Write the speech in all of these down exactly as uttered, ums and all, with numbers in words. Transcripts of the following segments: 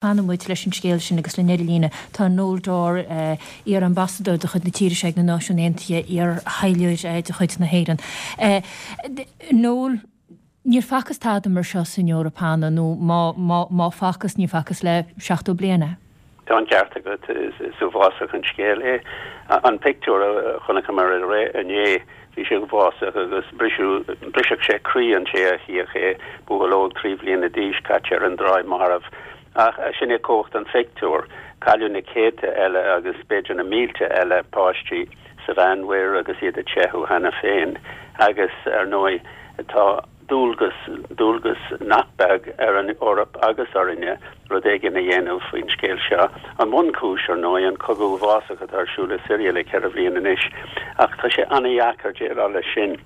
Fanfaidh muid leis an scéal sin agus linn ar an líne tá Noel Dorr, iar-ambasadóir de chuid na tíre seo ag na Náisiúin Aontaithe, iar-thaidhleoir de chuid na hÉireann. Noel, níor facthas tada mar seo san Eoraip cheana, nó má, má, má facthas, ní facthas le seachtó bliain é. Tá an ceart agat, is uafásach an scéal é. An pictiúr a chonaiceamar inné, bhí sé uafásach agus brisfeadh sé croí an té a chífeadh é, buachaill óg trí bhliana d'aois caite ar an dtráigh marbh. Ach sin é cumhacht an phictiúir. Cailleadh na céadta eile agus b'fhéidir na mílte eile páistí sa Mheánmhuir agus iad ag teitheadh cheana féin. Agus, ar ndóigh, tá. dualgas, dualgas nach beag ar an Eoraip agus orainne rud éigin a dhéanamh faoin scéal seo. An bhunchúis, ar ndóigh, an cogadh uafásach atá ar siúl i Siria le ceithre bhliain anois, ach tá sé an-dheacair déileáil leis sin.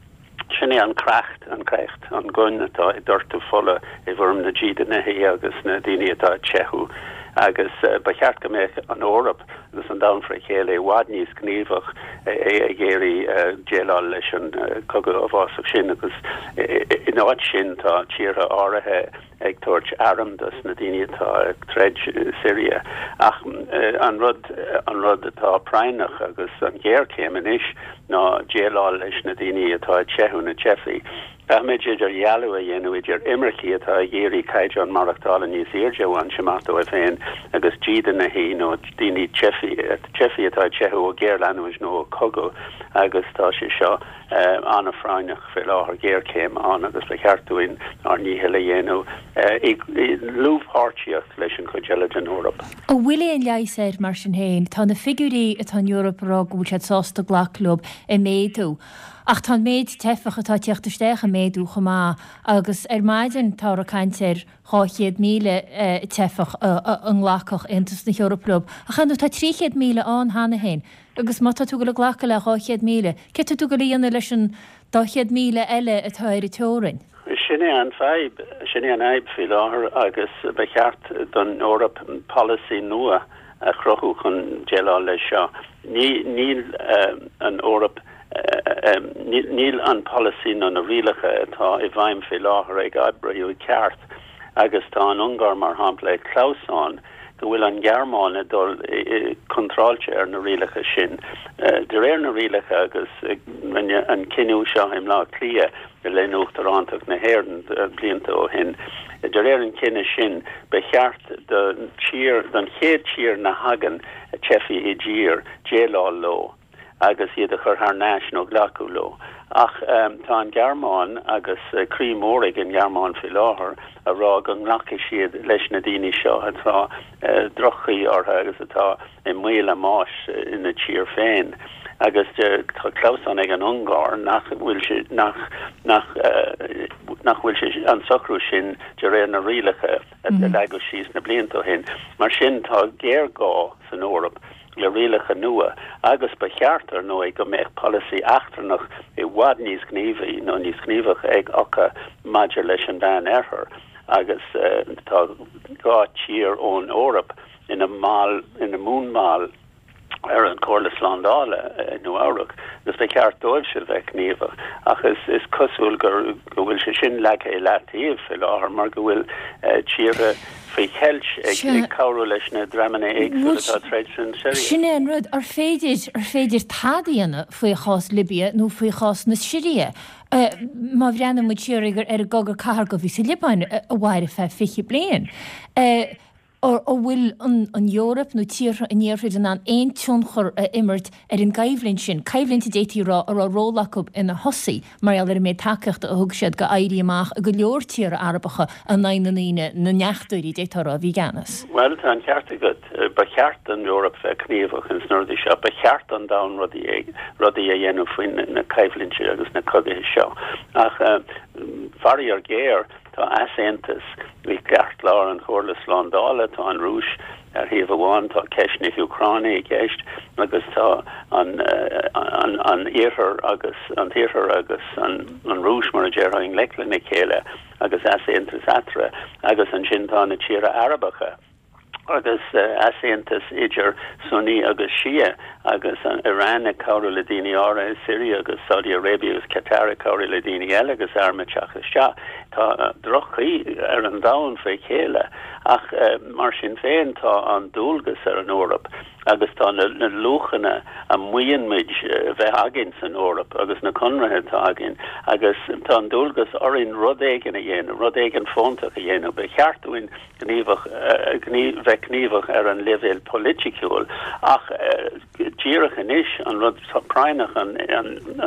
Sin é an créacht, an créacht, an gun atá ag doirteadh fola i bhfoirm na dídeanaithe agus na daoine atá ag teitheadh. Agus ba cheart go mbeadh an Eoraip agus an domhan fré chéile i bhfad níos gníomhach ag iarraidh déileáil leis an cogadh uafásach sin agus in áit sin tá tíortha áirithe ag tabhairt airm dos na daoine atá ag troid i Siria. Ach an rud an rud atá práinneach agus an ghéarchéim anois ná déileáil leis na daoine atá ag teitheadh, na teifigh. Caithfimid idirdhealú a dhéanamh idir imircigh atá ag iarraidh caighdeán maireachtála níos airde a bhaint amach dóibh féin agus dídeanaithe nó daoine teifigh atá ag teitheadh ó ghéarleanúint nó ó chogadh agus tá sé seo an-phráinneach faoi láthair, géarchéim ann agus ba cheart dúinn ár ndícheall a dhéanamh i ndlúthpháirtíocht leis an chuid eile den Eoraip. An bhfuil aon leigheas air mar sin féin? Tá na figiúirí atá an Eoraip ag rá go bhfuil siad sásta glacadh leo ag méadú. Ach tá an méid teifeach atá ag tíocht isteach ag méadú chomh maith agus ar maidin táthar ag caint ar dhá chéad míle teifeach a nglacfadh Aontas na hEorpa leo. Ach ar ndóigh tá trí chéad míle ann cheana féin agus má tá tú ag dul ag glacadh le dhá chéad míle, céard tá tú ag dul a dhéanamh leis an dá chéad míle eile atá ar an teorainn? Sin é an fadhb, sin é an fhadhb faoi láthair agus ba cheart don Eoraip polasaí nua a chruthú chun déileáil leis seo. Ní, níl an Eoraip, níl an polasaí nó na rialacha atá i bhfeidhm faoi láthair ag oibriú i gceart agus tá an Ungáir, mar shampla, ag clamhsán go bhfuil an Ghearmáin ag dul contráilte ar na rialacha sin. De réir na rialacha agus rinneadh an cinneadh seo i mBleá Cliath le linn Uachtarántacht na hÉireann blianta ó shin, De réir an chinnidh sin, ba cheart don tír, don chéad tír ina thagann teifigh i dtír, déileáil leo agus iad a chur thar n-ais nó glacadh leo. Ach tá an Ghearmáin, agus croí mór ag an nGearmáin faoi láthair, a rá go nglacfaidh siad leis na daoine seo atá droch-chaoi orthu agus atá i mbaol a mbáis ina dtír féin. Agus tá clamhsán ag an Ungáir nach bhfuil sé, nach, nach, nach bhfuil sé, an socrú sin de réir na rialacha a leagadh síos na blianta ó shin. Mar sin tá géarghá san Eoraip le rialacha nua agus ba cheart, ar ndóigh, go mbeadh polasaí eachtrannach i bhfad níos gníomhaí nó níos gníomhach ag acu maidir leis an Mheánoirthear agus tá dhá tír ón Eoraip ina mball, ina mbunbhaill ar an Chomhairle Slándála i Nua Eabhrac agus ba cheart dóibhse bheith gníomhach ach is is cosúil gur go bhfuil sé sin leagtha i leataobh faoi láthair mar go bhfuil tíortha faoi cheilt ag ag cabhrú leis na dreamanna éagsúla atá ag troid san Siria. Sin é an rud, ar féidir ar féidir tada a dhéanamh faoi chás Libia nó faoi chás na Siria? Má bhreathnaíonn muid siar ar an gcogadh cathartha a bhí sa Liobáin a mhair ar feadh fiche bliain, an bhfuil an Eoraip nó tíortha an Iarthair in ann aon tionchar a imirt ar an gcoimhlint sin, coimhlint a d'fhéadfaí a rá a raibh ról acu ina thosaí mar gheall ar an méid tacaíochta a thug siad go éirí amach i go leor tíortha Arabacha in aghaidh na ndaoine, na ndeachtóirí, d'fhéadfá a rá, a bhí i gceannas. Bhuel, tá an ceart agat. Ba cheart don Eoraip bheith gníomhach ins na rudaí seo. Ba cheart don domhan rudaí rudaí a dhéanamh faoi na coimhlintí agus na cogaithe seo. Ach faraor géar, tá easaontas i gceartlár an Chomhairle Slándála, tá an Rúis ar thaobh amháin, tá ceist na hÚcráine i gceist agus tá an an an Iarthar agus an tIarthar agus an an Rúis, mar a déarfá, i ngleic lena chéile agus easaontas eatarthu agus ansin tá na tíortha Arabacha. agus easaontas idir Sunni agus Shia agus an Iran ag cabhrú le daoine áirithe i Siria agus Saudi Arabia agus Qatar ag cabhrú le daoine eile agus airm ag teacht isteach. Tá droch-chaoi ar an domhan faoi chéile Ach mar sin féin tá an dualgas ar an Eoraip agus tá na na luachanna a maíonn muid a bheith againn san Eoraip agus na conarthaí atá againn agus tá an dualgas orainn rud éigin a dhéanamh, rud éigin fóntach a dhéanamh. Ba cheart dúinn gníomhach bheith gníomhach ar an leibhéal polaitiúil ach díreach anois an rud práinneach an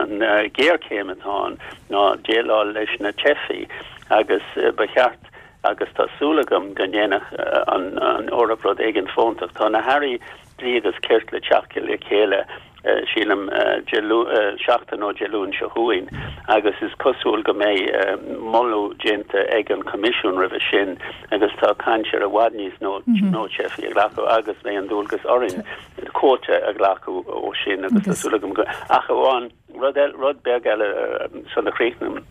an ghéarchéim atá ann ná déileáil leis na teifigh agus ba cheart agus tá súil agam go ndéanfaidh an an Eoraip rud éigin fóntach. Tá na hairí dlí agus cirt le teacht le chéile sílim seachtain ó Dé Luain seo chugainn agus is cosúil go mbeidh moladh déanta ag an Coimisiún roimhe sin agus tá caint ar i bhfad níos mó teifigh a ghlacadh agus beidh an dualgas orainn cuóta a ghlacadh ó sin agus tá súil agam go ach amháin rud rud beag eile sula chríochnaím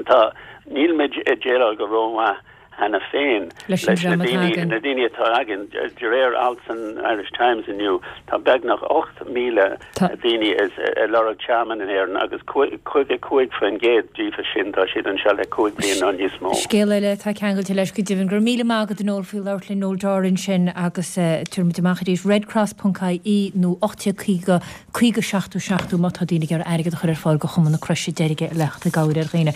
tá níl muid ag déileáil go rómhaith cheana féin leis na daoine na daoine atá againn de réir alt san Irish Times inniu tá beagnach ocht míle daoine ag lorg tearmann in Éirinn agus caoga cúig faoin gcéad díobh sin tá siad anseo le cúig bliana nó níos mó. Scéal eile atá ceangailte leis go deimhin. Go raibh míle maith agat a Noel faoi labhairt linn Noel Doran sin agus tabharfaimid amach arís redcross.ie nó ocht déag caoga caoga seachtó seachtó má tá daoine ag iarraidh airgead a chur ar fáil go Chumann na Croise Deirge le theacht i gcabhair ar dhaoine.